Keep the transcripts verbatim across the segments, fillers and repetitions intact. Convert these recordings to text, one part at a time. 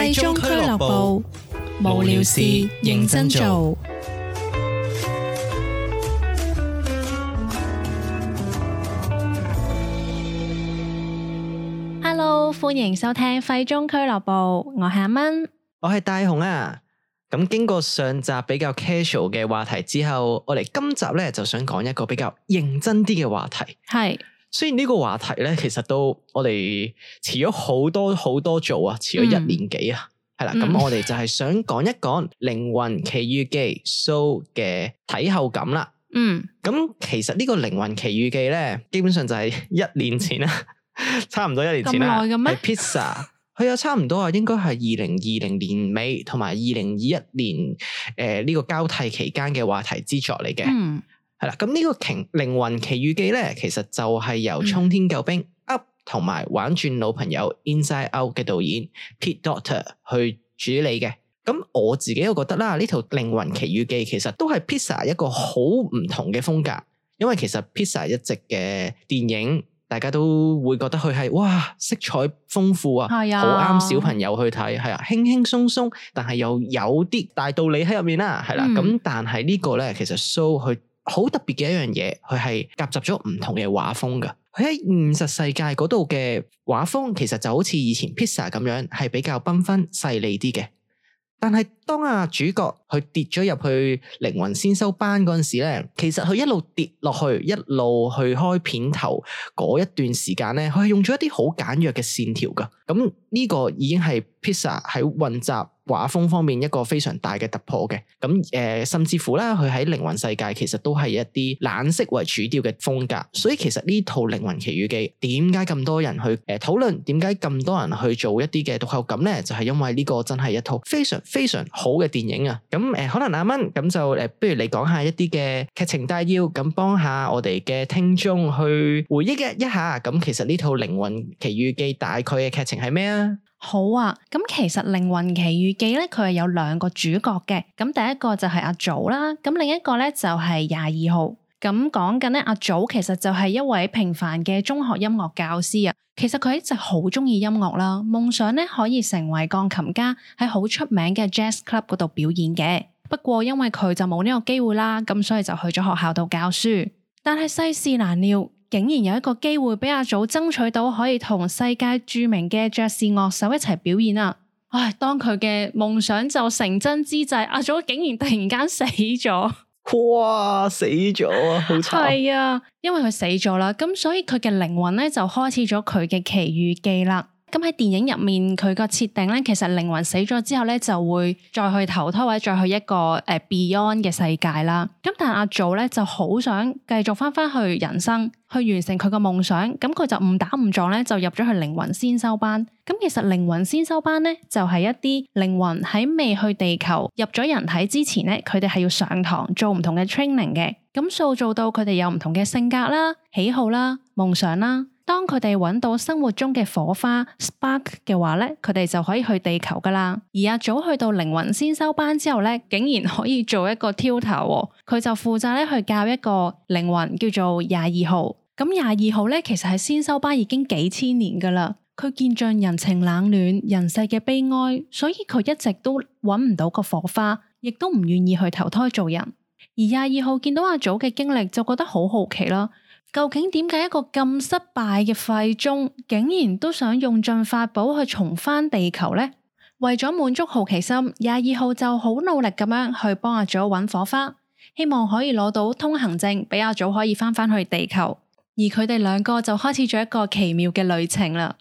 廢中俱樂部，無聊事認真做。Hello， 歡迎收聽廢中俱樂部，我係阿蚊，我係大雄啊。咁經過上集比較 casual 嘅話題之後，我哋今集咧就想講一個比較認真啲嘅話題。係。雖然呢個話題咧，其實都我哋遲咗好多好多做啊，遲咗一年幾啊，係啦、嗯。咁我哋就係想講一講《靈魂奇遇記》Soul 嘅睇後感啦。嗯。咁其實呢個《靈魂奇遇記》咧，基本上就係一年前啦，差唔多一年前啦。咁耐嘅咩？係 Pizza， 佢有差唔多啊，應該係二零二零年尾同埋二零二一年誒呢、呃這個交替期間嘅話題之作嚟嘅。嗯。係啦，咁呢個《靈魂奇遇記》咧，其實就係由沖天救兵 Up 同埋玩轉老朋友 Inside Out 嘅導演 Pete Docter 去主理嘅。咁我自己又覺得啦，呢套《靈魂奇遇記》其實都係 Pixar 一個好唔同嘅風格，因為其實 Pixar 一直嘅電影，大家都會覺得佢係哇色彩豐富啊，好啱小朋友去睇，係啊，輕輕鬆鬆，但係又有啲大道理喺入面啦，係啦。咁、嗯、但係呢個咧，其實 Soul 佢好特別嘅一樣嘢，佢係夾雜咗唔同嘅畫風噶。佢喺現實世界嗰度嘅畫風，其實就好似以前 Pixar 咁樣，係比較繽紛細膩啲嘅。但係當阿主角佢跌咗入去靈魂先修班嗰陣時咧，其實佢一路跌落去，一路去開片頭嗰一段時間咧，佢係用咗一啲好簡約嘅線條噶。咁呢個已經係 Pixar 喺混雜畫風方面一個非常大嘅突破嘅。咁誒、呃，甚至乎啦，佢喺靈魂世界其實都係一啲冷色為主調嘅風格。所以其實呢套靈魂奇遇記點解咁多人去誒討論，點解咁多人去做一啲嘅讀後感咧？就係、是、因為呢個真係一套非常非常好嘅電影啊！咁誒、呃，可能阿蚊咁就誒、呃，不如你講下一啲嘅劇情大要，咁幫下我哋嘅聽眾去回憶一下。咁其實呢套靈魂奇遇記大概嘅劇情係咩啊？好啊，咁其實靈魂奇遇記咧，佢係有兩個主角嘅。咁第一個就係阿祖啦，咁另一個咧就係廿二號。咁講緊咧，阿祖其實就係一位平凡嘅中學音樂教師啊。其實佢一直好中意音樂啦，夢想咧可以成為鋼琴家，喺好出名嘅 Jazz Club 嗰度表演嘅。不過因為佢就冇呢個機會啦，咁所以就去咗學校度教書。但係世事難料，竟然有一個機會俾阿祖爭取到可以同世界著名嘅爵士樂手一齊表演啊！唉，當佢嘅夢想就成真之際，阿祖竟然突然間死咗。哇，死咗啊，好慘！係啊，因為佢死咗啦，咁所以佢嘅靈魂咧就開始咗佢嘅奇遇記啦。咁喺電影入面佢個設定咧，其實靈魂死咗之後咧就會再去投胎或者再去一個誒、呃、Beyond 嘅世界啦。咁但係阿祖咧就好想繼續翻翻去人生，去完成佢個夢想。咁佢就誤打誤撞咧就入咗去靈魂先修班。咁其實靈魂先修班咧就係、是、一啲靈魂喺未去地球入咗人體之前咧，佢哋係要上堂做唔同嘅 training 嘅。咁塑造到佢哋有唔同嘅性格啦、喜好啦、夢想啦。當佢哋揾到生活中嘅火花 spark 嘅話咧，佢哋就可以去地球噶啦。而阿祖去到靈魂先修班之後咧，竟然可以做一個 tutor，佢就負責咧去教一個靈魂叫做廿二號。咁廿二號咧，其實係先修班已經幾千年噶啦，佢見盡人情冷暖、人世嘅悲哀，所以佢一直都揾唔到個火花，亦都唔願意去投胎做人。而廿二號見到阿祖嘅經歷，就覺得好好奇啦。究竟點解一個咁失敗嘅廢中，竟然都想用盡法寶去重返地球呢？為咗滿足好奇心，廿二號就好努力咁樣去幫阿祖揾火花，希望可以攞到通行證，俾阿祖可以翻返去地球。而佢哋兩個就開始咗一個奇妙嘅旅程啦。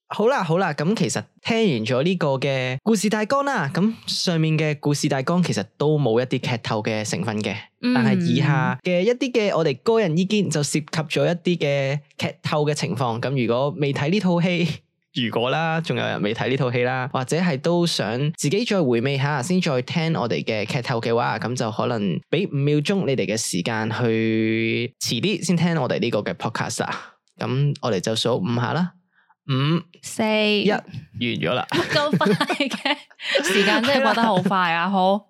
好啦好啦，咁其實聽完咗呢個嘅故事大綱啦，咁上面嘅故事大綱其實都冇一啲劇透嘅成分嘅，嗯、但係以下嘅一啲嘅我哋個人意見就涉及咗一啲嘅劇透嘅情況。咁如果未睇呢套戲，如果啦，仲有人未睇呢套戲啦，或者係都想自己再回味下先再聽我哋嘅劇透嘅話，咁就可能俾五秒鐘你哋嘅時間去遲啲先聽我哋呢個嘅 podcast 啊。咁我哋就數五下啦。五、四、一，完咗啦！咁快嘅時間真係過得好快啊！好，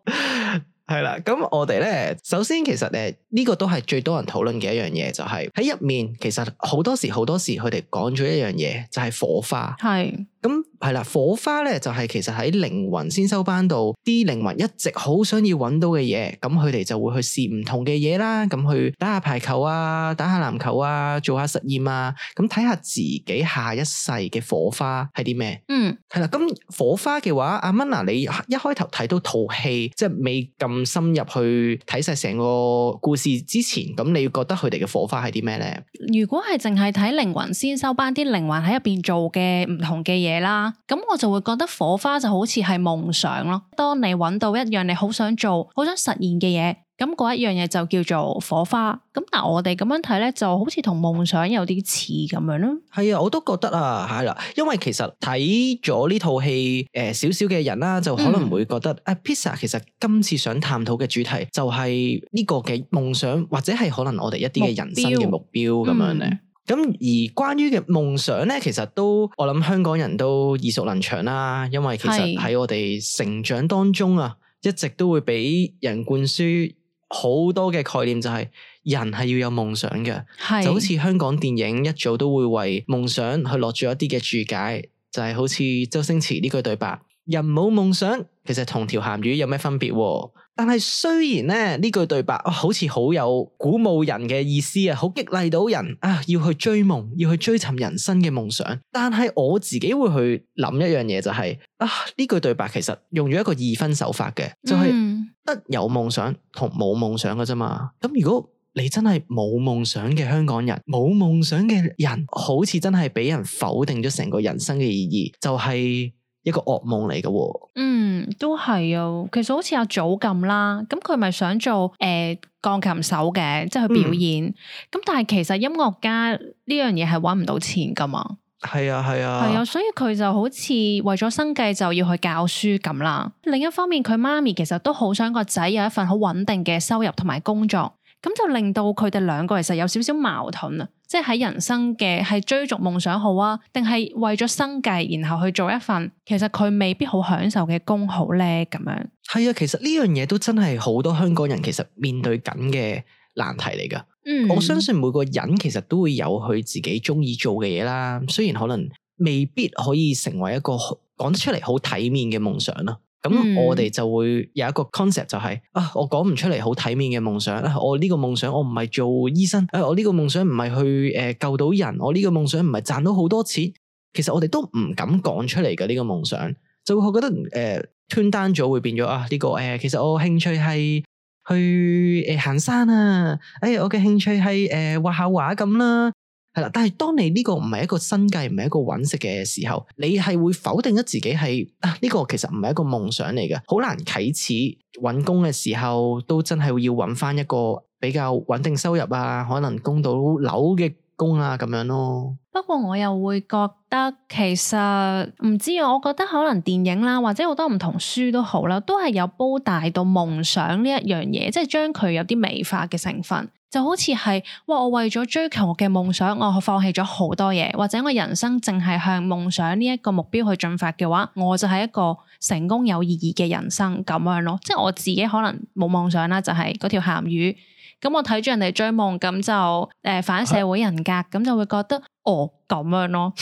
係啦，咁我哋咧，首先其實誒呢個都係最多人討論嘅一樣嘢，就係喺入面其實好多時好多時佢哋講咗一樣嘢，就係火花。係。咁咁係啦，火花咧就係、是、其實喺靈魂先修班度，啲靈魂一直好想要揾到嘅嘢，咁佢哋就會去試唔同嘅嘢啦，咁去打下排球啊，打下籃球啊，做下實驗啊，咁睇下自己下一世嘅火花係啲咩？嗯，係啦，咁火花嘅話，阿 Minna 你一開頭睇到套戲，即係未咁深入去睇晒成個故事之前，咁你要覺得佢哋嘅火花係啲咩咧？如果係淨係睇靈魂先修班啲靈魂喺入邊做嘅唔同嘅嘢啦，咁我就會覺得火花就好似係夢想咯。當你揾到一樣你好想做、好想實現嘅嘢，咁嗰一樣嘢就叫做火花。咁但係我哋咁樣睇咧，就好似同夢想有啲似咁樣咯。係啊，我都覺得啊，係啦，因為其實睇咗呢套戲誒少少嘅人啦，就可能會覺得、嗯、啊 Pizza 其實今次想探討嘅主題就係呢個嘅夢想，或者係可能我哋一啲嘅人生嘅目標咁樣咧。咁而關於嘅夢想咧，其實都我諗香港人都耳熟能詳啦，因為其實喺我哋成長當中啊，一直都會俾人灌輸好多嘅概念，就係人係要有夢想嘅，就好似香港電影一早都會為夢想去落咗一啲嘅注解，就係、是、好似周星馳呢句對白：人冇夢想，其實同條鹹魚有咩分別？但係雖然咧呢句對白、哦、好似好有鼓舞人嘅意思啊，好激勵到人啊，要去追夢，要去追尋人生嘅夢想。但係我自己會去諗一樣嘢、就是，就係啊呢句對白其實用咗一個二分手法嘅，就係、是、得有夢想同冇夢想嘅啫嘛。咁如果你真係冇夢想嘅香港人，冇夢想嘅人，好似真係俾人否定咗成個人生嘅意義，就係、是、一個噩夢嚟嘅。嗯，都係啊。其實好似阿祖咁啦，咁佢咪想做誒鋼琴手嘅，即係去表演。咁、嗯、但係其實音樂家呢樣嘢係搵唔到錢噶嘛。係啊係啊，係啊，所以佢就好似為咗生計就要去教書咁啦。另一方面，佢媽咪其實都好想個仔有一份好穩定嘅收入同埋工作。咁就令到佢哋兩個其實有少少矛盾啊，即係喺人生嘅係追逐夢想好啊，定係為咗生計然後去做一份其實佢未必好享受嘅工好咧咁樣。係啊，其實呢樣嘢都真係好多香港人其實面對緊嘅難題嚟噶。嗯，我相信每個人其實都會有佢自己中意做嘅嘢啦，雖然可能未必可以成為一個講得出嚟好體面嘅夢想啦。咁、嗯、我哋就會有一個 concept 就係、是、啊，我講唔出嚟好體面嘅夢想、啊、我呢個夢想我唔係做醫生、啊、我呢個夢想唔係去誒、呃、救到人，我呢個夢想唔係賺到好多錢。其實我哋都唔敢講出嚟嘅呢個夢想，就會覺得誒 turn down 咗會變咗啊呢、這個誒、呃、其實我興趣係去誒、呃、行山啊，誒、哎、我嘅興趣係誒畫下畫咁啦。係啦，但係當你呢個唔係一個生計，唔係一個揾食嘅時候，你係會否定咗自己係啊？呢個其實唔係一個夢想嚟嘅，好難啟齒。揾工嘅時候都真係要揾翻一個比較穩定收入啊，可能供到樓嘅工啊咁樣咯。不過我又會覺得其實唔知啊，我覺得可能電影啦，或者好多唔同書都好啦，都係有煲大到夢想呢一樣嘢，即係將佢有啲美化嘅成分。就好似係哇，我為咗追求我嘅夢想，我放棄咗好多嘢，或者我人生淨係向夢想呢一個目標去進發嘅話，我就係一個成功有意義嘅人生咁樣咯。即係我自己可能冇夢想啦，就係嗰條鹹魚。咁我睇住人哋追夢，咁就誒、呃、反社會人格，咁、啊、就會覺得哦咁樣咯。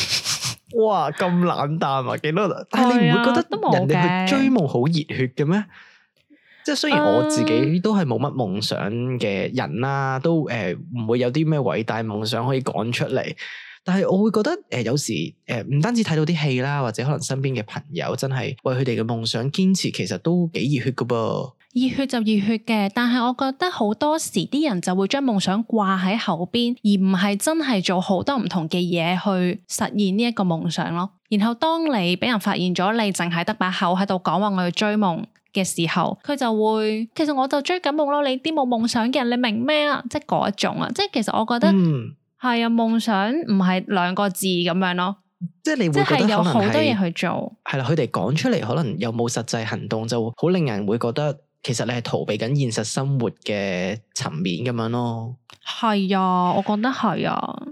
哇，咁冷淡啊，幾多？但係你唔會覺得人哋去追夢好熱血嘅咩？即係雖然我自己都係冇乜夢想嘅人啦，都誒唔、呃、會有啲咩偉大夢想可以講出嚟，但係我會覺得誒、呃、有時誒唔、呃、單止睇到啲戲啦，或者可能身邊嘅朋友真係為佢哋嘅夢想堅持，其實都幾熱血噶噃。熱血就熱血嘅，但係我覺得好多時啲人就會將夢想掛喺後邊，而唔係真係做好多唔同嘅嘢去實現呢一個夢想咯。然後當你俾人發現咗，你淨係得把口喺度講話我要追夢嘅時候，佢就會其實我就追緊夢咯，你啲冇夢想嘅人，你明咩啊？即係嗰一種啊，即係其實我覺得係、嗯、啊，夢想唔係兩個字咁樣咯，即係你會覺得有好多嘢去做，係啦，佢哋講出嚟可能又冇實際行動，就好令人會覺得其實你係逃避緊現實生活嘅層面咁樣咯。係啊，我覺得係啊。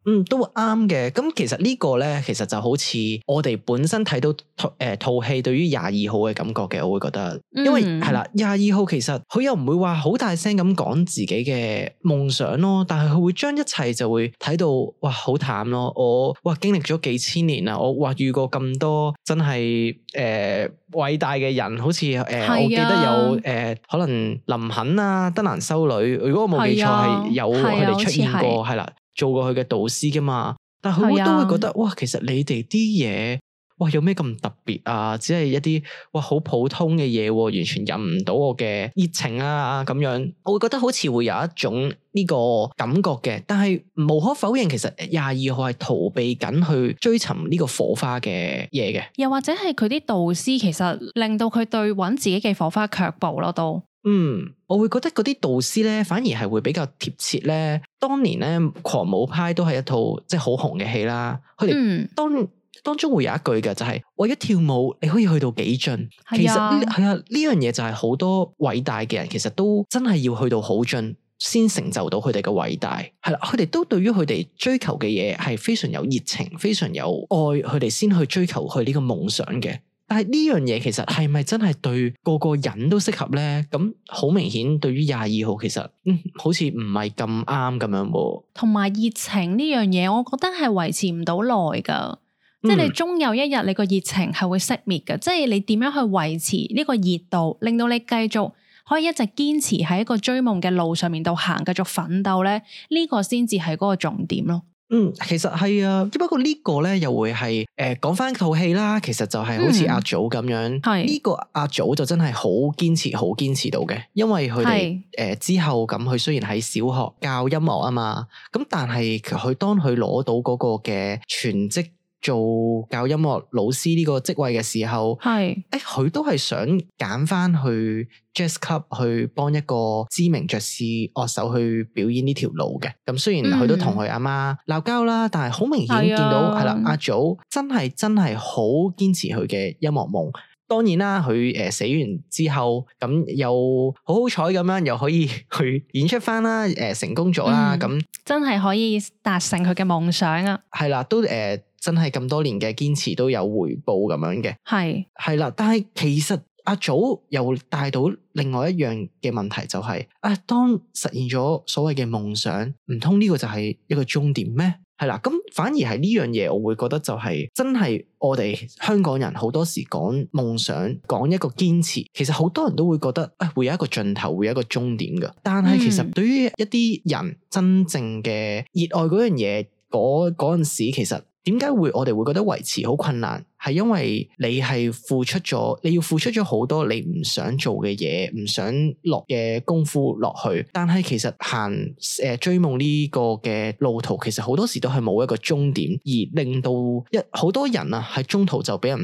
嗯，都啱嘅。咁其實呢個咧，其實就好似我哋本身睇到誒套戲對於廿二號嘅感覺嘅，我會覺得，因為係啦，廿二號其實佢又唔會話好大聲咁講自己嘅夢想咯，但係佢會將一切就會睇到哇好淡咯。我哇經歷咗幾千年啦，我哇遇過咁多真係誒偉大嘅人，好似誒、呃啊、我記得有誒、呃、可能林肯啊、德蘭修女，如果我冇記錯係有佢哋出現過，係啦。做過佢嘅導師噶嘛，但係佢都會覺得、啊、哇，其實你哋啲嘢哇有咩咁特別啊？只係一啲哇好普通嘅嘢，完全引唔到我嘅熱情啊咁樣，我會覺得好似會有一種呢個感覺嘅。但係無可否認，其實廿二號係逃避緊去追尋呢個火花嘅嘢嘅，又或者係佢啲導師其實令到佢對揾自己嘅火花卻步咯都。嗯，我會覺得嗰啲導師咧，反而係會比較貼切咧。當年咧，狂舞派都係一套即係好紅嘅戲啦。佢哋當、嗯、當中會有一句嘅，就係、是、為咗跳舞，你可以去到幾盡。其實係啊，呢樣嘢就係好多偉大嘅人，其實都真係要去到好盡，先成就到佢哋嘅偉大。係啦，佢哋都對於佢哋追求嘅嘢係非常有熱情，非常有愛，佢哋先去追求佢呢個夢想嘅。但係呢樣嘢其實係咪真係對個個人都適合咧？咁好明顯，對於廿二號其實嗯好似唔係咁啱咁樣喎。同埋熱情呢樣嘢，我覺得係維持唔到耐噶，嗯、即係你終有一日你個熱情係會熄滅噶。即係你點樣去維持呢個熱度，令到你繼續可以一直堅持喺一個追夢嘅路上面度行，繼續奮鬥咧，呢、這個先至係嗰個重點咯。嗯，其實係啊，只不過呢個咧又會係誒講翻套戲啦。其實就係好似阿祖咁樣，呢、嗯、個阿祖就真係好堅持，好堅持到嘅。因為佢哋誒之後咁，佢雖然喺小學教音樂啊嘛，咁但係佢當佢攞到嗰個嘅全職做教音樂老師呢個職位嘅時候，係誒佢都係想揀翻去 Jazz Club 去幫一個知名爵士樂手去表演呢條路嘅。咁雖然佢都同佢阿媽鬧交啦，但係好明顯見到係啦，阿祖真係真係好堅持佢嘅音樂夢。當然啦，佢誒、呃、死完之後，咁又好好彩咁樣，又可以去演出翻啦，誒、呃、成功咗啦，咁、嗯、真係可以達成佢嘅夢想啊！係啦，都誒、呃、真係咁多年嘅堅持都有回報咁樣嘅，係係啦。但係其實阿祖又帶到另外一樣嘅問題，就係、是、啊，當實現咗所謂嘅夢想，唔通呢個就係一個終點咩？係啦，咁反而係呢樣嘢，我會覺得就係真係我哋香港人好多時講夢想，講一個堅持，其實好多人都會覺得啊、哎，會有一個盡頭，會有一個終點㗎。但係其實對於一啲人真正嘅熱愛嗰樣嘢，嗰嗰陣時，其實點解會我哋會覺得維持好困難？係因為你係付出咗，你要付出咗好多你唔想做嘅嘢，唔想落嘅功夫落去。但係其實行誒、呃、追夢呢個嘅路途，其實好多時都係冇一個終點，而令到一好多人啊喺中途就俾人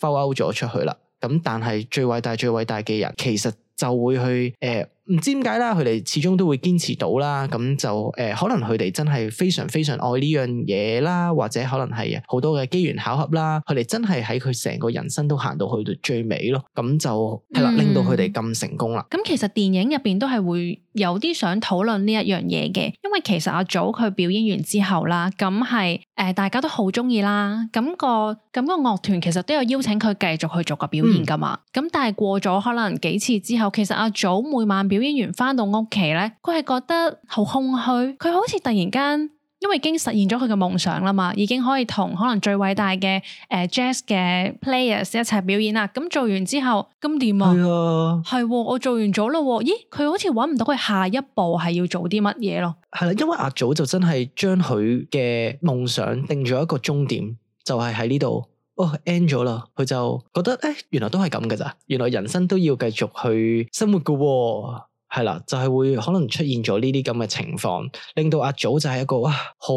fall out 咗出去啦。咁但係最偉大最偉大嘅人，其實就會去誒唔、呃、知點解啦，佢哋始終都會堅持到啦。咁就誒、呃、可能佢哋真係非常非常愛呢樣嘢啦，或者可能係好多嘅機緣巧合啦，佢哋真係喺佢成個人生都行到去到最尾咯。咁就係啦，令到佢哋咁成功啦。咁、嗯、其實電影入邊都係會有啲想討論呢一樣嘢嘅，因為其實阿祖佢表演完之後啦，咁係誒大家都好中意啦。咁、個咁、個樂團其實都有邀請佢繼續去做個表演噶嘛。咁、嗯、但係過咗可能幾次之後，其實阿祖每晚表演完翻到屋企咧，佢係覺得好空虛，佢好似突然間因為已經實現咗佢嘅夢想啦嘛，已經可以同可能最偉大嘅誒、呃、jazz 嘅 players 一齊表演啦。咁做完之後咁點啊？係啊，係我做完咗咯。咦，佢好似搵唔到佢下一步係要做啲乜嘢咯？係啦，因為阿祖就真係將佢嘅夢想定咗一個終點，就係喺呢度。哦 end 咗啦，佢就覺得誒，原來都係咁噶咋，原來人生都要繼續去生活噶、哦，係啦，就係、是、會可能出現咗呢啲咁嘅情況，令到阿祖就係一個哇，好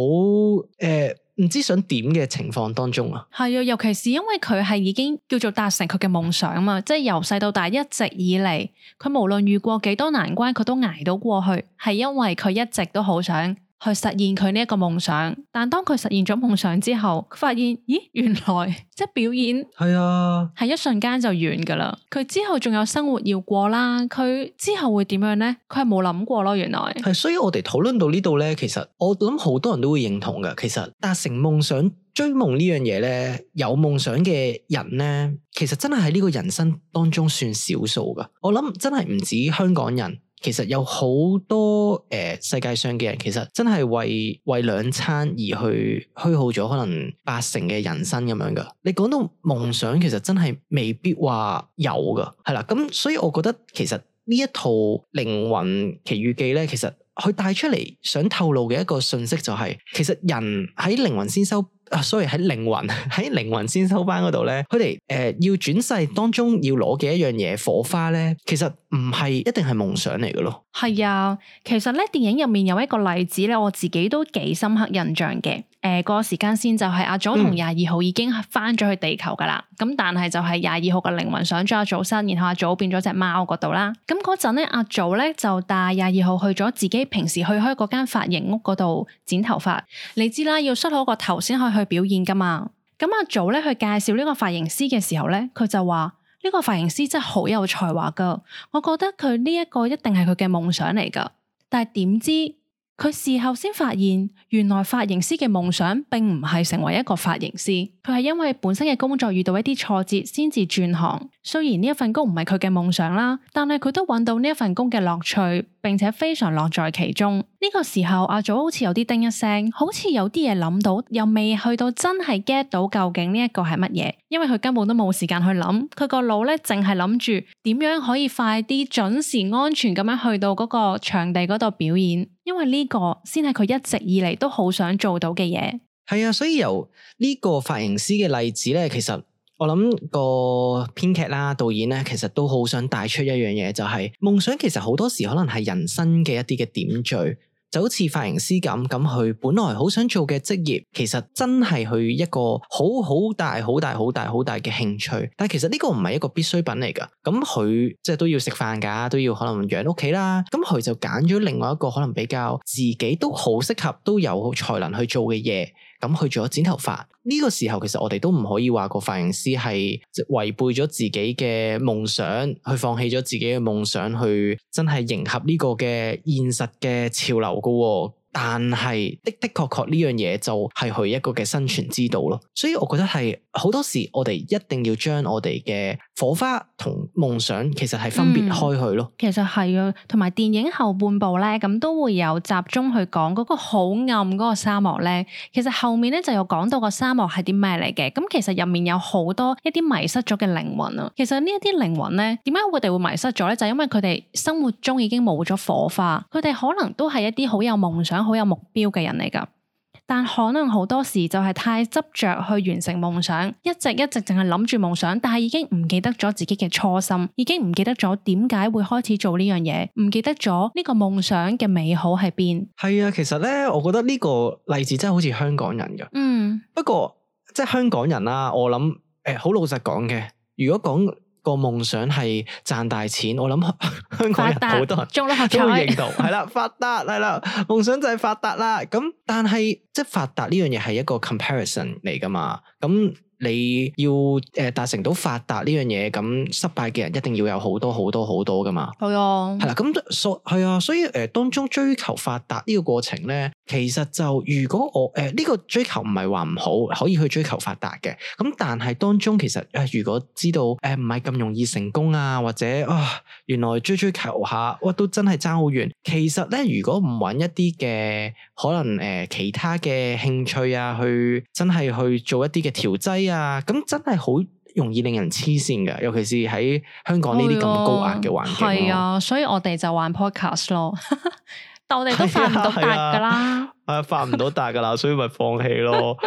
誒唔知想點嘅情況當中啊。係啊，尤其是因為佢係已經叫做達成佢嘅夢想啊嘛，即係由細到大一直以嚟，佢無論遇過幾多難關，佢都捱到過去，係因為佢一直都好想去實現佢呢一個夢想。但當佢實現咗夢想之後，佢發現咦，原來即係表演係啊，係一瞬間就完噶啦。佢之後仲有生活要過啦，佢之後會點樣呢？佢係冇諗過咯，原來係。所以我哋討論到呢度咧，其實我諗好多人都會認同噶。其實達成夢想、追夢呢樣嘢咧，有夢想嘅人咧，其實真係喺呢個人生當中算少數噶。我諗真係唔止香港人。其實有好多誒、呃、世界上嘅人，其實真係為為兩餐而去虛耗咗可能八成嘅人生咁樣噶。你講到夢想，其實真係未必話有噶，係啦。咁所以我覺得其實呢一套靈魂奇遇記咧，其實佢帶出嚟想透露嘅一個信息就係、是，其實人喺靈魂先修。啊，sorry，喺靈魂喺靈魂先修班嗰度咧，佢哋誒要轉世當中要攞嘅一樣嘢火花咧，其實唔係一定係夢想嚟嘅咯。係啊，其實咧電影入面有一個例子咧，我自己都幾深刻印象嘅。誒、呃，嗰個時間線就係阿祖同廿二號已經翻咗去地球噶啦，咁、嗯、但係就係廿二號嘅靈魂上咗阿祖身，然後阿祖變咗隻貓嗰度啦。咁嗰陣咧，阿祖咧就帶廿二號去咗自己平時去開嗰間髮型屋嗰度剪頭髮。你知啦，要梳好個頭先可以去表演噶嘛。咁阿祖咧去介紹呢個髮型師嘅時候咧，佢就話呢個髮型師真係好有才華噶，我覺得佢呢一個一定係佢嘅夢想嚟噶。但係點知佢事後先發現，原來髮型師嘅夢想並唔係成為一個髮型師，佢係因為本身嘅工作遇到一啲挫折，先至轉行。雖然呢一份工唔係佢嘅夢想啦，但係佢都揾到呢一份工嘅樂趣，並且非常樂在其中。呢個時候阿祖好似有啲叮一聲，好似有啲嘢諗到，又未去到真係 get 到究竟呢一個係乜嘢，因為佢根本都冇時間去諗，佢個腦咧淨係諗住點樣可以快啲準時安全咁樣去到嗰個場地嗰度表演，因為呢個先係佢一直以嚟都好想做到嘅嘢。係啊，所以由呢個髮型師嘅例子咧，其實我諗個編劇啦、導演咧，其實都好想帶出一樣嘢，就係夢想其實好多時可能係人生嘅一啲嘅點綴。就好似髮型師咁，咁佢本來好想做嘅職業，其實真係佢一個好好大、好大、好大、好大嘅興趣。但係其實呢個唔係一個必需品嚟噶。咁佢即係都要食飯噶，都要可能養屋企啦。咁佢就揀咗另外一個可能比較自己都好適合、都有才能去做嘅嘢。咁去做咗剪頭髮。呢個時候，其實我哋都唔可以話個髮型師係違背咗自己嘅夢想，去放棄咗自己嘅夢想，去真係迎合呢個嘅現實嘅潮流噶喎。但係的的確確呢樣嘢就係佢一個嘅生存之道咯。所以我覺得係好多時我哋一定要將我哋嘅火花同夢想其實係分別開去咯。嗯、其實係啊，同埋電影後半部咧，咁都會有集中去講嗰個好暗嗰個沙漠咧。其實後面咧就有講到個沙漠係啲咩嚟嘅。咁其實入面有好多一啲迷失咗嘅靈魂啊。其實呢一啲靈魂咧，點解佢哋會迷失咗咧？就係因為佢哋生活中已經冇咗火花，佢哋可能都係一啲好有夢想、好有目標嘅人嚟噶，但可能好多時就係太執着去完成夢想，一直一直淨係諗住夢想，但係已經唔記得咗自己嘅初心，已經唔記得咗點解會開始做呢樣嘢，唔記得咗呢個夢想嘅美好喺邊。係啊，其實咧，我覺得呢個例子真係好似香港人噶。嗯，不過即係香港人啦，我諗誒，好老實講嘅，如果講個夢想係賺大錢，我諗香港人好多人中六合彩都會認同，係啦，發達係啦，夢想就係發達啦。咁但係即係發達呢樣嘢係一個 comparison 嚟噶嘛，咁你要誒達成到發達呢樣嘢，咁失敗嘅人一定要有好多好多好多噶嘛。係啊，係啦，咁所係啊，所以誒、呃、當中追求發達呢個過程咧，其實就如果我誒呢、呃這個追求唔係話唔好，可以去追求發達嘅，咁但係當中其實誒、呃、如果知道誒唔係咁容易成功啊，或者啊原來追追求下，哇都真係爭好遠。其實咧，如果唔揾一啲嘅可能誒、呃、其他嘅興趣啊，去真係去做一啲嘅調劑啊，咁真係好容易令人黐線㗎，尤其是喺香港呢啲咁高壓嘅環境。係啊，所以我哋就玩 podcast 咯，但我哋都發唔到達噶啦，係啊，發唔到達噶啦，所以咪放棄咯。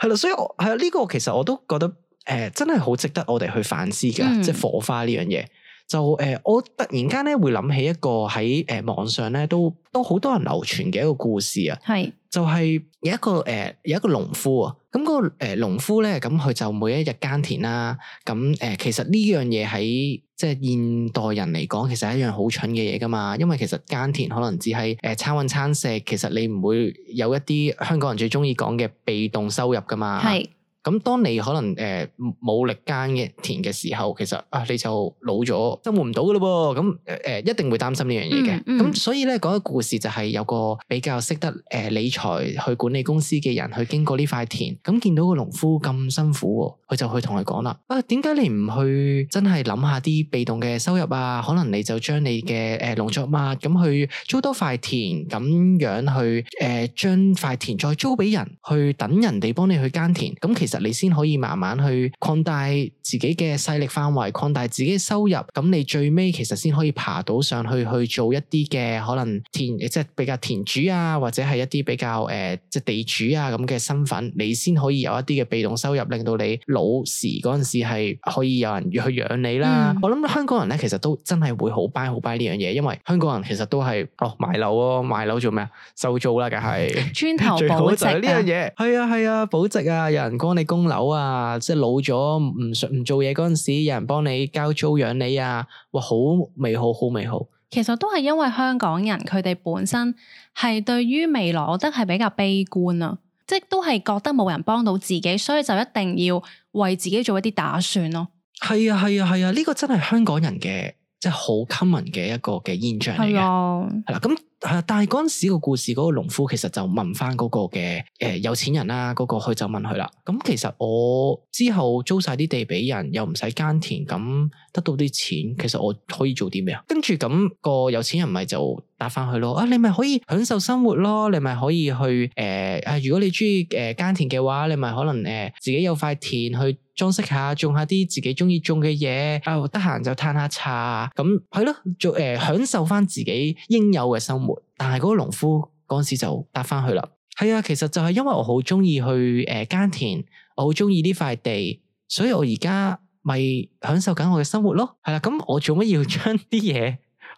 係啦，所以我係啊，呢個其實我都覺得誒、呃，真係好值得我哋去反思噶，嗯、即係火花呢樣嘢。就誒、呃，我突然間咧會諗起一個喺誒、呃、網上咧都都好多人流傳嘅一個故事啊，係是就係有一個誒、呃、有一個農夫啊，咁、那個誒農、呃、夫咧，咁佢就每一日耕田啦，咁誒、呃、其實呢樣嘢喺即係現代人嚟講，其實係一樣好蠢嘅嘢噶嘛，因為其實耕田可能只係誒餐搵餐食，其實你唔會有一啲香港人最中意講嘅被動收入噶嘛。係。咁當你可能誒冇、呃、力耕嘅田嘅時候，其實啊你就老咗，生活唔到噶咯噃。咁、呃、誒一定會擔心呢樣嘢嘅。咁、嗯嗯、所以咧講個故事就係有個比較識得誒、呃、理財去管理公司嘅人去經過呢塊田，咁見到個農夫咁辛苦，佢就去同佢講啦：啊，點解你唔去真係諗下啲被動嘅收入啊？可能你就將你嘅誒農作物咁去租多塊田，咁樣去誒將塊田再租俾人，去等人哋幫你去耕田。咁其實其實你先可以慢慢去擴大自己嘅勢力範圍，擴大自己嘅收入，咁你最尾其實先可以爬到上去去做一啲嘅可能田，即係比較田主啊，或者係一啲比較誒、呃、即係地主啊咁嘅身份，你先可以有一啲嘅被動收入，令到你老時嗰陣時係可以有人去養你啦。嗯、我諗香港人咧，其實都真係會好 buy 好 buy 呢樣嘢，因為香港人其實都係哦買樓咯，買樓做咩啊？收租啦，梗係磚頭保值啊！呢樣嘢係啊係啊，保值啊，有人幫你供樓啊，即係老咗唔唔做嘢嗰陣時，有人幫你交租養你啊，哇，好美好，好美好。其實都係因為香港人佢哋本身係對於未來，我覺得係比較悲觀啊，即係都係覺得冇人幫到自己，所以就一定要為自己做一啲打算咯。係啊係啊係啊，呢個真係香港人嘅即係好 common 嘅一個嘅現象嚟嘅。係啊，係啦咁。係啊，但係嗰陣時個故事嗰個農夫其實就問翻嗰個嘅誒、呃、有錢人啦，嗰、嗰個佢就問佢啦。咁其實我之後租晒啲地俾人，又唔使耕田，咁得到啲錢，其實我可以做啲咩啊？跟住咁個有錢人咪就答翻佢咯。啊，你咪可以享受生活咯，你咪可以去誒啊、呃！如果你中意誒耕田嘅話，你咪可能誒、呃、自己有塊田去裝飾下，種下啲自己中意種嘅嘢啊，得閒就嘆下茶，咁係咯，做誒、呃、享受翻自己應有嘅生活。但係嗰個農夫嗰陣時就答翻去啦，係啊，其實就係因為我好中意去誒耕田，我好中意呢塊地，所以我而家咪享受緊我嘅生活咯。係啦，咁我做乜要將啲嘢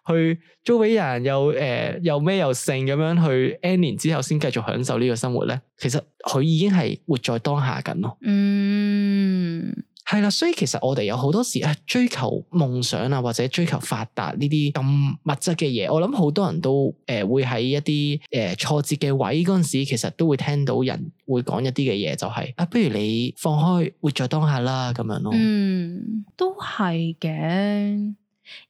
去租俾人，又誒、呃、又咩又剩咁樣去 N 年之後先繼續享受呢個生活咧？其實佢已經係活在當下緊咯。嗯。係啦，所以其實我哋有好多時誒追求夢想啊，或者追求發達呢啲咁物質嘅嘢，我諗好多人都誒、呃、會喺一啲誒、呃、挫折嘅位嗰陣時，其實都會聽到人會講一啲嘅嘢，就係、是、啊，不如你放開活在當下啦，咁樣咯。嗯，都係嘅，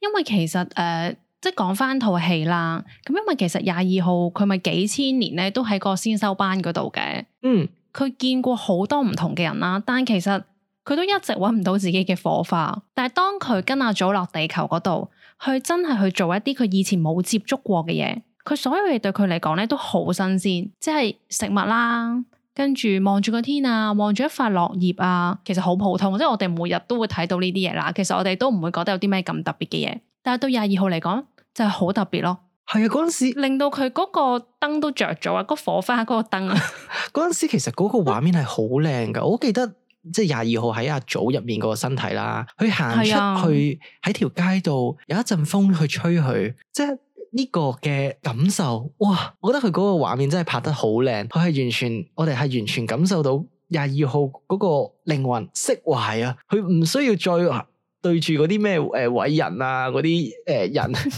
因為其實誒、呃、即係講翻套戲啦，咁因為其實廿二號佢咪幾千年咧都喺個先修班嗰度嘅，嗯，佢見過好多唔同嘅人啦，但其實佢都一直揾唔到自己嘅火花，但係當佢跟阿祖落地球嗰度，去真係去做一啲佢以前冇接觸過嘅嘢，佢所有嘢對佢嚟講咧都好新鮮，即係食物啦，跟住望住個天啊，望住一塊落葉啊，其實好普通，即係我哋每日都會睇到呢啲嘢啦。其實我哋都唔會覺得有啲咩咁特別嘅嘢，但係到廿二號嚟講就係好特別咯。係啊，嗰陣時令到佢嗰個燈都着咗啊，嗰火花嗰個燈啊，嗰陣時其實嗰個畫面係好靚噶，我記得。即係廿二號喺阿祖入面個身體啦，佢行出去喺條街度有一陣風去吹佢，即係呢個嘅感受，哇！我覺得佢嗰個畫面真係拍得好靚，佢係完全，我哋係完全感受到廿二號嗰個靈魂釋懷啊，佢唔需要再對住嗰啲咩誒偉人啊嗰啲誒人。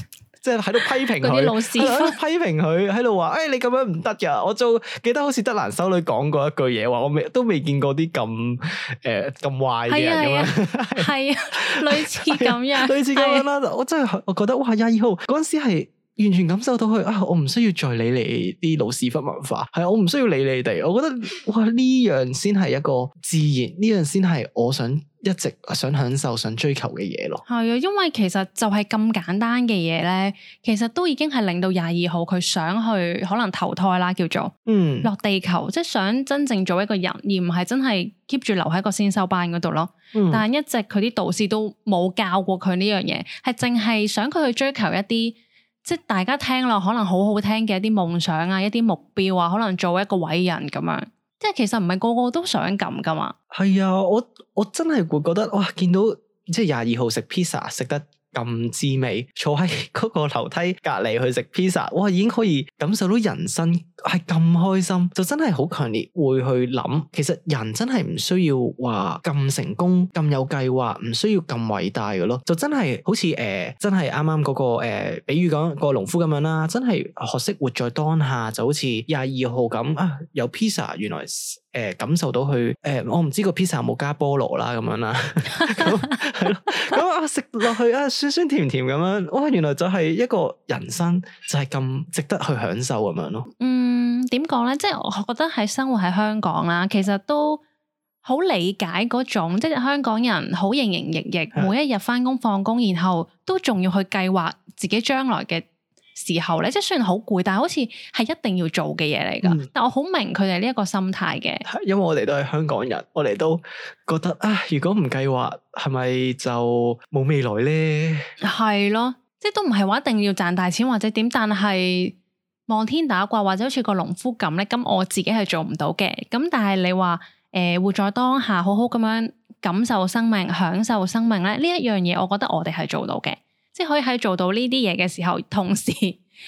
即係喺度批評佢，喺度批評佢，喺度話：誒，你咁樣唔得噶！我就記得好似德蘭修女講過一句嘢，話我未都未見過啲咁誒咁壞嘅人咁樣，係啊，類似咁樣，類似咁樣啦。我真係我覺得哇，廿二號嗰陣時係完全感受到佢啊！我唔需要再理你啲老屎忽文化，係啊，我唔需要理你哋。我覺得哇，呢樣先係一個自然，呢樣先係我想一直想享受、想追求嘅嘢咯。係啊，因為其實就係咁簡單嘅嘢咧，其實都已經係令到廿二號佢想去可能投胎啦，叫做嗯落地球，即係想真正做一個人，而唔係真係 keep 住留喺個先修班嗰度咯。嗯、但係一直佢啲導師都冇教過佢呢樣嘢，係淨係想佢去追求一啲。即係大家聽落可能好好聽嘅一啲夢想啊，一啲目標啊，可能做一個偉人咁樣。即係其實唔係個個都想咁噶嘛。係啊，我我真係會覺得哇，見到即係廿二號食 pizza 食得咁滋味，坐喺嗰個樓梯隔離去食 pizza，哇已經可以感受到人生係咁開心，就真係好強烈會去諗，其實人真係唔需要話咁成功、咁有計劃，唔需要咁偉大嘅咯，就真係好似誒、呃、真係啱啱嗰個誒、呃、比喻講個農夫咁樣啦，真係學識活在當下，就好似廿二號咁啊，有 pizza 原來誒、呃、感受到佢誒、呃、我唔知個 pizza 有冇加菠蘿啦咁樣啦，咁係咯，咁啊食落去啊酸酸甜甜咁樣，哇原來就係一個人生就係咁值得去享受咁樣咯。嗯，點講咧？即係我覺得喺生活喺香港啦，其實都好理解嗰種，即係香港人好營營役役，的每一日翻工放工，然後都仲要去計劃自己將來嘅時候咧，即係雖然好攰，但係好似係一定要做嘅嘢嚟噶。嗯、但我好明佢哋呢一個心態嘅，因為我哋都係香港人，我哋都覺得啊，如果唔計劃，係咪就冇未來咧？係咯，即係都唔係話一定要賺大錢或者點，但係望天打卦或者好似個農夫咁咧，咁我自己係做唔到嘅。咁但係你話誒、呃、活在當下，好好咁樣感受生命、享受生命咧，呢一樣嘢，我覺得我哋係做到嘅。即係可以喺做到呢啲嘢嘅時候，同時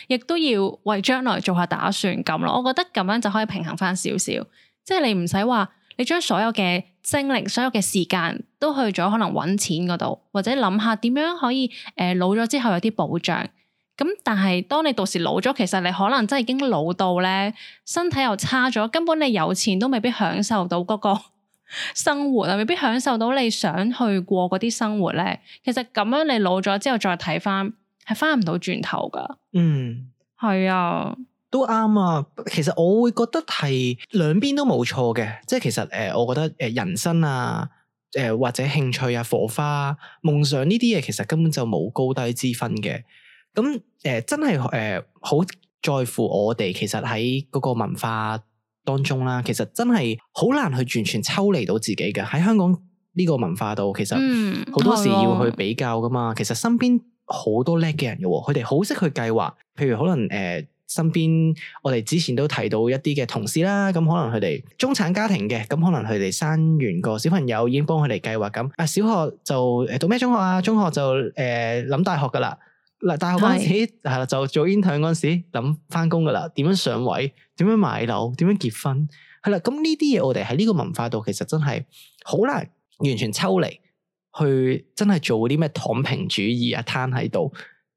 亦都要為將來做下打算咁咯。我覺得咁樣就可以平衡翻少少。即係你唔使話你將所有嘅精力、所有嘅時間都去咗可能揾錢嗰度，或者諗下點樣可以誒、呃、老咗之後有啲保障。咁但係當你到時老咗，其實你可能真係已經老到咧，身體又差咗，根本你有錢都未必享受到嗰個生活啊，未必享受到你想去過嗰啲生活咧。其實咁樣你老咗之後再睇翻，係翻唔到轉頭噶。嗯，係啊，都啱啊。其實我會覺得係兩邊都冇錯嘅，即係其實誒、呃，我覺得誒人生啊，誒、呃、或者興趣啊、火花、夢想呢啲嘢，其實根本就冇高低之分嘅。咁誒、呃，真係誒好在乎我哋，其實喺嗰個文化當中啦，其實真係好難去完全抽離到自己嘅。喺香港呢個文化度，其實好多時要去比較噶嘛。嗯、其實身邊好多叻嘅人嘅，佢哋好識去計劃。譬如可能誒、呃，身邊我哋之前都提到一啲嘅同事啦，咁可能佢哋中產家庭嘅，咁可能佢哋生完個小朋友已經幫佢哋計劃咁。啊，小學就誒讀咩中學啊？中學就誒諗、呃、大學噶啦。嗱，大學嗰陣時係啦，就做 intern 嗰陣時諗翻工噶啦，點樣上位，點樣買樓，點樣結婚，係啦。咁呢啲嘢我哋喺呢個文化度，其實真係好難完全抽離，去真係做啲咩躺平主義啊，攤喺度，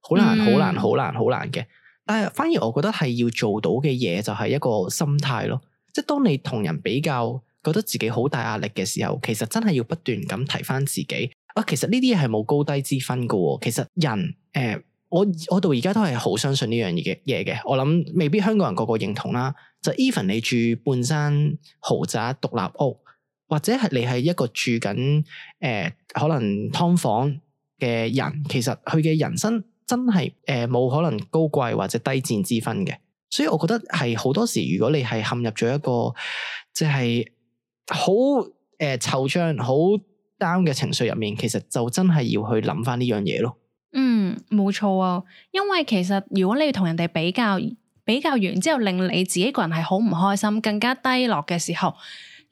好難，好難，好難，好難嘅。但係反而我覺得係要做到嘅嘢，就係一個心態咯。即係當你同人比較，覺得自己好大壓力嘅時候，其實真係要不斷咁提翻自己啊。其實呢啲嘢係冇高低之分噶。其實人誒。呃我我到而家都係好相信呢樣嘢嘅嘢嘅，我諗未必香港人個個認同啦。就 even 你住半山豪宅獨立屋，或者係你係一個住緊誒、呃、可能劏房嘅人，其實佢嘅人生真係誒冇可能高貴或者低賤之分嘅。所以我覺得係好多時，如果你係陷入咗一個即係好誒惆悵、好 down 嘅情緒入面，其實就真係要去諗翻呢樣嘢咯。嗯，冇錯啊，因為其實如果你要同人哋比較，比較完之後令你自己個人係好唔開心，更加低落嘅時候，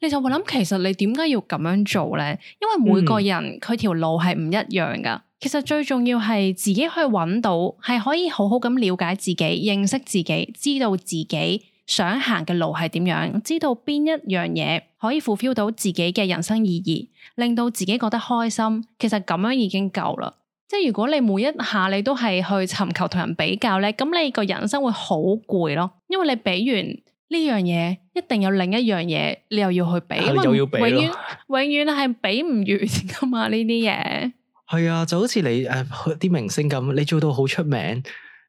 你就會諗，其實你點解要咁樣做咧？因為每個人佢條、嗯、路係唔一樣噶。其實最重要係自己去揾到，係可以好好咁了解自己、認識自己，知道自己想行嘅路係點樣，知道邊一樣嘢可以 fulfill 到自己嘅人生意義，令到自己覺得開心。其實咁樣已經夠啦。即係如果你每一下你都係去尋求同人比較咧，咁你個人生會好攰咯。因為你比完呢樣嘢，一定有另一樣嘢你又要去比，因為永遠永遠係比唔完噶嘛呢啲嘢。係啊，就好似你誒啲、呃、明星咁，你做到好出名，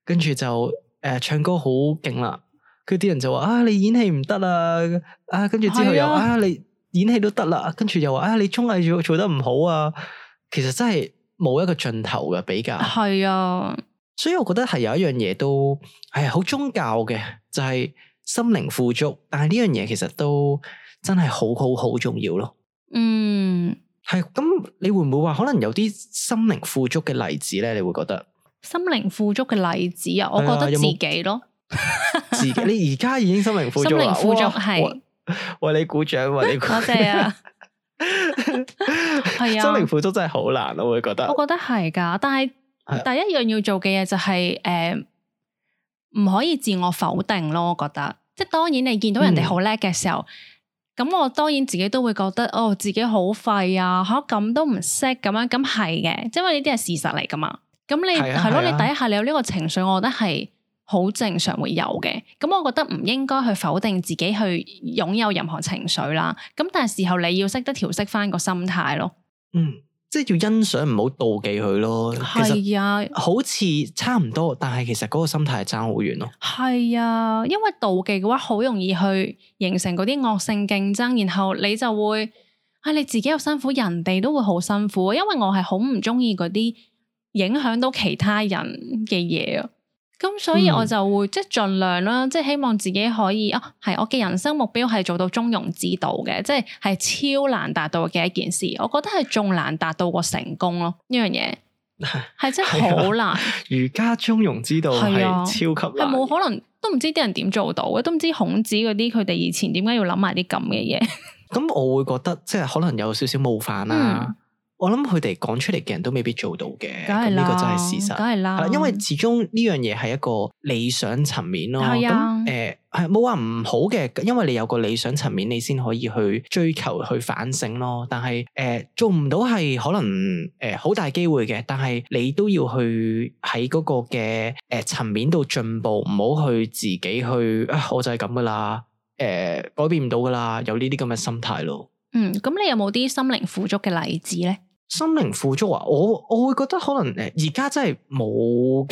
跟住就誒、呃、唱歌好勁啦，跟住啲人就話啊你演戲唔得啦，啊跟住之後又啊，啊你演戲都得啦，跟住又話啊你綜藝做做得唔好啊，其實真係。冇一個盡頭嘅比較，係啊，所以我覺得係有一樣嘢都係好宗教嘅，就係、是、心靈富足。但係呢樣嘢其實都真係好好好重要咯。嗯，係咁，你會唔會話可能有啲心靈富足嘅例子咧？你會覺得心靈富足嘅例子啊？我覺得自己咯，自己你而家已經心靈富足啦，心靈富足係為你鼓掌，為你鼓掌。多謝啊！係啊，心靈富足真係好難，我會覺得。我覺得係噶，但係第一樣要做嘅嘢就係誒唔可以自我否定咯，我覺得。即係當然你見到人哋好叻嘅時候，咁、嗯、我當然自己都會覺得哦，自己好廢啊，嚇咁都唔識咁樣，咁係嘅，因為呢啲係事實嚟噶嘛。咁你係咯、啊，你第一下你有呢個情緒，我覺得係好正常會有嘅。咁我覺得唔應該去否定自己去擁有任何情緒啦。咁但係時候你要識得調適翻個心態咯。嗯。即係要欣賞，唔好妒忌佢咯。係啊，好似差唔多，但係其實嗰個心態係爭好遠咯。係啊，因為妒忌嘅話，好容易去形成嗰啲惡性競爭，然後你就會啊，你自己又辛苦，人哋都會好辛苦。因為我係好唔中意嗰啲影響到其他人嘅嘢啊。咁所以我就會、嗯、即係盡量啦，即係希望自己可以啊，係我嘅人生目標係做到中庸之道嘅，即係係超難達到嘅一件事。我覺得係仲難達到過成功咯，呢樣嘢係真係好難。儒家中庸之道係超級難，係冇可能，都唔知啲人點做到嘅，都唔知孔子嗰啲佢哋以前點解要諗埋啲咁嘅嘢。咁我會覺得即係可能有少少冒犯啦。嗯我諗佢哋講出嚟嘅人都未必做到嘅，咁呢個真係事實。梗係啦，因為始終呢樣嘢係一個理想層面咯。係啊，誒係冇話唔好嘅，因為你有個理想層面，你先可以去追求、去反省咯。但係誒、呃、做唔到係可能誒好、呃、大機會嘅，但係你都要去喺嗰個嘅誒層面度進步，唔好去自己去啊，我就係咁噶啦，誒、呃、改變唔到噶啦，有呢啲咁嘅心態咯。嗯，咁你有冇啲心靈富足嘅例子咧？心靈富足啊，我我會覺得可能誒，而家真係冇，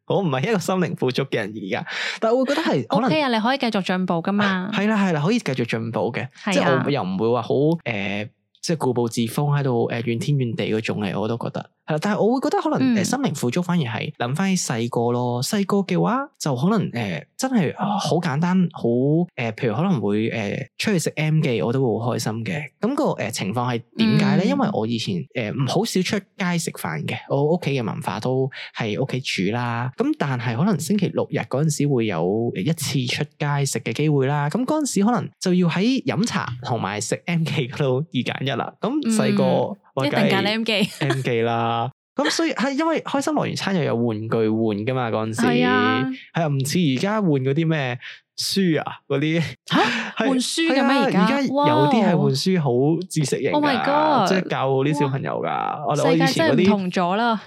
我唔係一個心靈富足嘅人而家，但係我會覺得係可能 OK 啊，你可以繼續進步噶嘛，係啦係啦，可以繼續進步嘅，啊、即係我又唔會話好誒，即係固步自封喺度誒怨天怨地嗰種嚟，我都覺得係啦。但係我會覺得可能誒、嗯、心靈富足反而係諗翻起細個咯，細個嘅話就可能誒、呃、真係好簡單，好誒、呃，譬如可能會誒、呃、出去食 M 記，我都會好開心嘅。咁、那個誒、呃、情況係點解咧？嗯、因為我以前誒唔好少出街食飯嘅，我屋企嘅文化都係屋企煮啦。咁但係可能星期六日嗰陣時會有一次出街食嘅機會啦。咁嗰陣時可能就要喺飲茶同埋食 M 記嗰度二揀一啦。咁細個一定揀 M 記 M 記啦。咁所以係因為開心樂園餐又有玩具換噶嘛，嗰陣時係啊，係啊，唔似而家換嗰啲咩書啊嗰啲吓換書嘅咩？而家而家有啲係換書好知識型噶， Oh my God 即係教啲小朋友噶。我哋世界真係唔同咗啦。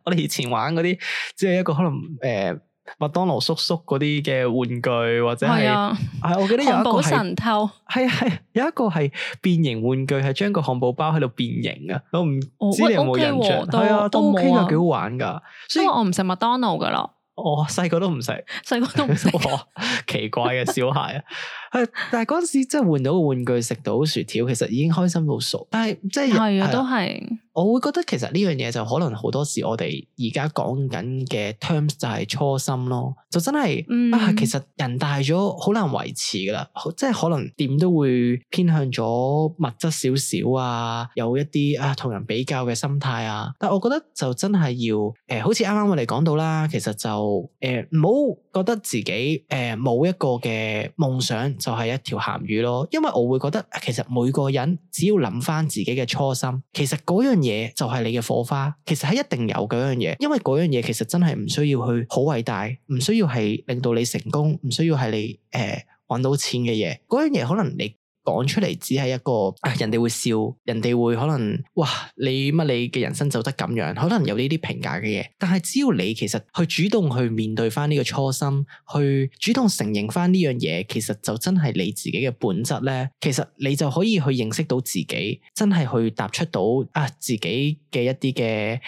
我哋以前玩嗰啲，即係一個可能誒。麥當勞叔叔嗰啲嘅玩具或者係，係、啊啊、我記得有一個係神偷，係係有一個係變形玩具，係將個漢堡包喺度變形啊！我唔知你有冇印象？係、哦、啊，都 OK 噶，幾好玩噶。所以我唔食麥當勞噶啦。我細個都唔食，細個都唔食，奇怪嘅小孩啊！係，但係嗰陣時即係換到個玩具，食到薯條，其實已經開心到傻。但係即係係啊，都係。我會覺得其實呢樣嘢就可能好多時我哋而家講緊嘅 terms 就係初心咯，就真係、嗯、啊，其實人大咗好難維持噶啦，即係可能點都會偏向咗物質少少啊，有一啲啊同人比較嘅心態啊。但係我覺得就真係要誒、呃，好似啱啱我哋講到啦，其實就誒唔好覺得自己誒冇、呃、一個嘅夢想就係一條鹹魚咯，因為我會覺得其實每個人只要諗翻自己嘅初心，其實嗰樣嘢就係你嘅火花，其實係一定有嗰樣嘢，因為嗰樣嘢其實真係唔需要去好偉大，唔需要係令到你成功，唔需要係你誒搵到錢嘅嘢，嗰樣嘢可能你講出嚟只係一個啊，人哋會笑，人哋會可能哇，你乜你嘅人生走得咁樣，可能有呢啲評價嘅嘢。但係只要你其實去主動去面對翻呢個初心，去主動承認翻呢樣嘢，其實就真係你自己嘅本質咧。其實你就可以去認識到自己，真係去踏出到啊自己嘅一啲嘅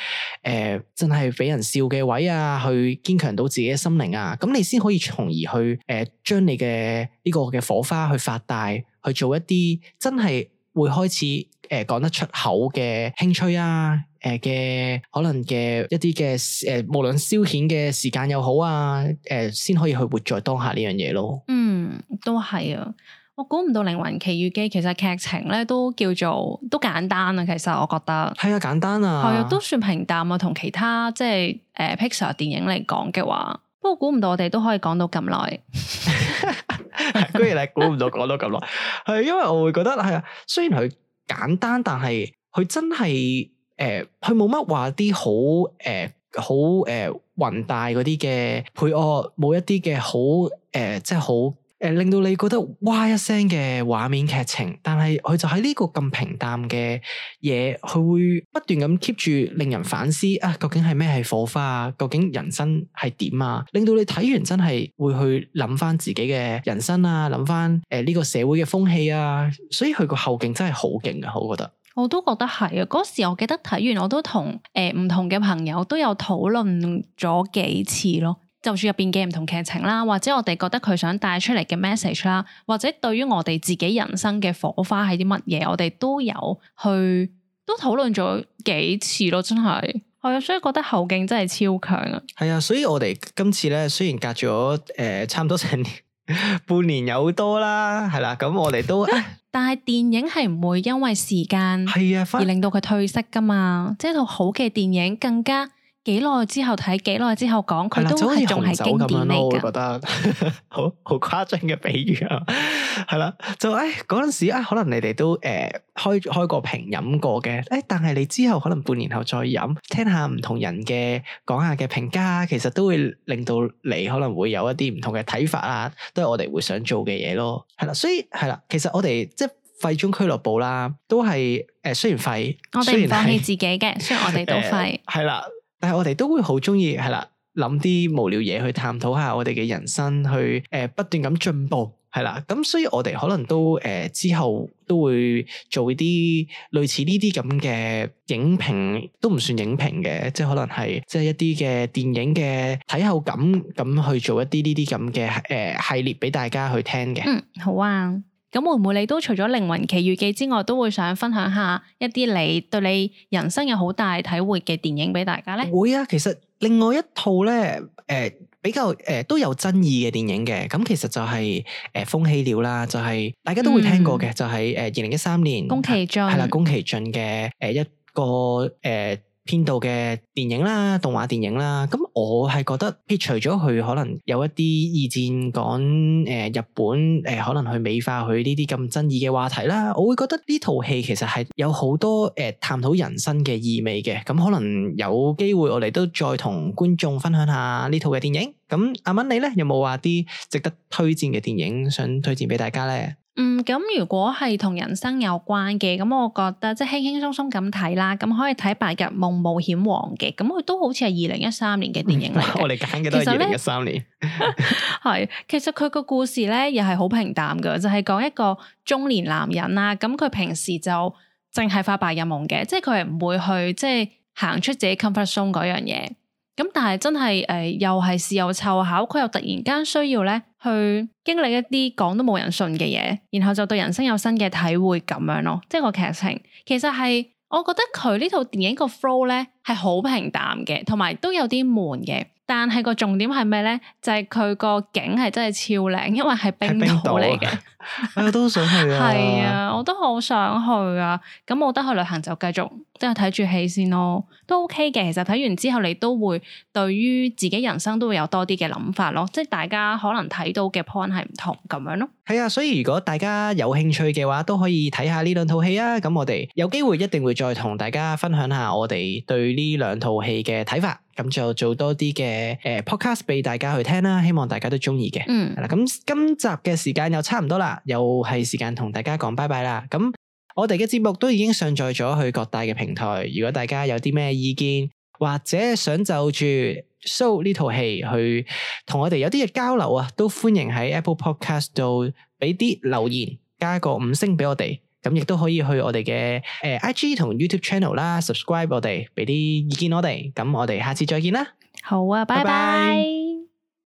誒，真係俾人笑嘅位啊，去堅強到自己嘅心靈啊。咁你先可以從而去誒，將、呃、你嘅呢個嘅火花去發大。去做一啲真係會開始誒講、呃、得出口嘅興趣啊，誒、呃、嘅可能嘅一啲嘅誒無論消遣嘅時間又好啊，誒、呃、先可以去活在當下呢樣嘢咯。嗯，都係啊，我估唔到《靈魂奇遇記》其實劇情咧都叫做都簡單啊，其實我覺得係啊，簡單啊，係啊，都算平淡啊，同其他即係誒、呃、Pixar 電影嚟講嘅話，不過估唔到我哋都可以講到咁耐。居然你估唔到講到咁耐，係因為我會覺得係啊，雖然佢簡單，但係佢真係誒，佢冇乜話啲好誒好誒宏大嗰啲嘅配樂，冇一啲嘅好誒即係好誒令到你覺得哇一聲嘅畫面劇情，但係佢就喺呢個咁平淡嘅嘢，佢會不斷咁 keep 住令人反思啊，究竟係咩係火花啊？究竟人生係點啊？令到你睇完真係會去諗翻自己嘅人生啊，諗翻誒呢個社會嘅風氣啊，所以佢個後勁真係好勁啊，我覺得。我都覺得係啊！嗰時我記得睇完，我都同誒唔同嘅朋友都有討論咗幾次咯。就算入邊嘅唔同劇情啦，或者我哋覺得佢想帶出嚟嘅 message 啦，或者對於我哋自己人生嘅火花係啲乜嘢，我哋都有去都討論咗幾次咯，真係係啊！所以覺得後勁真係超強啊！係啊，所以我哋今次咧雖然隔咗誒、呃、差唔多成年半年有多啦，係啦，咁我哋都。但係電影係唔會因為時間而令到佢褪色噶嘛，即係套好嘅電影更加幾耐之後睇，幾耐之後講，佢都係仲係經典嚟噶。我覺得好好誇張嘅比喻啊，係啦，就誒嗰陣時啊，可能你哋都誒、呃、開開過瓶飲過嘅，誒但係你之後可能半年後再飲，聽下唔同人嘅講下嘅評價，其實都會令到你可能會有一啲唔同嘅睇法啊，都係我哋會想做嘅嘢咯。係啦，所以係啦，其實我哋即係廢中俱樂部啦，都係誒、呃、雖然廢，我哋唔放棄自己嘅，雖然我哋都廢，係啦、呃，但係我哋都會好中意係啦，諗啲無聊嘢去探討下我哋嘅人生，去誒、呃、不斷咁進步，係啦，咁所以我哋可能都誒、呃、之後都會做啲類似呢啲咁嘅影評，都唔算影評嘅，即係可能係即係一啲嘅電影嘅睇後感咁去做一啲呢啲咁嘅誒系列俾大家去聽嘅。嗯，好啊。咁會唔會你都除咗《靈魂奇遇記》之外，都會想分享下一啲你對你人生有好大體會嘅電影俾大家咧？會啊，其實另外一套咧，誒、呃、比較誒、呃、都有爭議嘅電影嘅，咁其實就係誒風起了啦，就係、是、大家都會聽過嘅，嗯、就係誒二零一三年宮崎駿係啦，宮崎駿嘅誒一個誒。呃編導嘅電影啦，動畫電影啦，咁我係覺得撇除咗佢可能有一啲意見講誒、呃、日本誒、呃、可能去美化佢呢啲咁爭議嘅話題啦，我會覺得呢套戲其實係有好多誒、呃、探討人生嘅意味嘅，咁可能有機會我哋都再同觀眾分享下呢套嘅電影。咁阿蚊你咧有冇話啲值得推薦嘅電影想推薦俾大家咧？嗯，咁如果係同人生有關嘅，咁我覺得即係輕輕鬆鬆咁睇啦，咁可以睇《白日夢冒險王》嘅，咁佢都好似係二零一三年嘅電影嚟嘅。我哋揀嘅都係二零一三年。係，其實佢個故事咧又係好平淡嘅，就係、是、講一個中年男人啦，咁佢平時就淨係發白日夢嘅，即係佢係唔會去即係行出自己 comfort zone 嗰樣嘢。咁但係真係誒、呃，又係事有湊巧，佢又突然間需要咧去經歷一啲講都冇人信嘅嘢，然後就對人生有新嘅體會咁樣咯。即係個劇情其實係，我覺得佢呢套電影個 flow 咧係好平淡嘅，同埋都有啲悶嘅。但係個重點係咩咧？就係佢個景係真係超靚，因為係冰島嚟嘅。我都想去啊！係啊，我都好想去啊！咁冇得去旅行就繼續即係睇住戲先咯，都 OK 嘅。其實睇完之後，你都會對於自己人生都會有多啲嘅諗法咯。即係大家可能睇到嘅 point 係唔同咁樣咯。係啊，所以如果大家有興趣嘅話，都可以睇下呢兩套戲啊。咁我哋有機會一定會再同大家分享下我哋對呢兩套戲嘅睇法。咁就做多啲嘅誒 podcast 俾大家去聽啦，希望大家都中意嘅。嗯，係啦，咁今集嘅時間又差唔多啦，又係時間同大家講拜拜啦。咁我哋嘅節目都已經上載咗去各大嘅平台，如果大家有啲咩意見或者想就住 show 呢套戲去同我哋有啲嘅交流啊，都歡迎喺 Apple Podcast 度俾啲留言，加個五星俾我哋。咁亦都可以去我哋嘅誒 I G 同 YouTube Channel 啦 ，subscribe 我哋，俾啲意見我哋。咁我哋下次再見啦。好啊，拜拜。